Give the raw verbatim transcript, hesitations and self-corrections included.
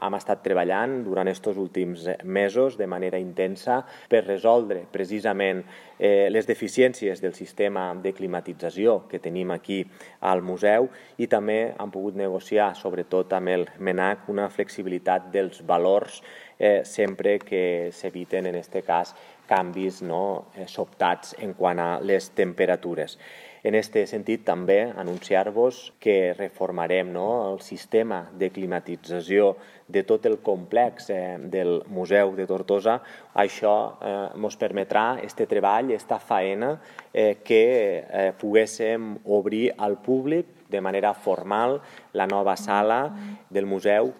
Hem estat treballant durant aquests últims mesos de manera intensa per resoldre precisament eh, les deficiències del sistema de climatització que tenim aquí al museu i també hem pogut negociar, sobretot amb el MENAC, una flexibilitat dels valors eh, sempre que s'eviten, en aquest cas, canvis no, eh, sobtats en quant a les temperatures. En aquest sentit, també anunciar-vos que reformarem no, el sistema de climatització de tot el complex eh, del Museu de Tortosa. Això ens eh, permetrà, este treball, esta faena, eh, que eh, poguéssim obrir al públic de manera formal la nova sala del museu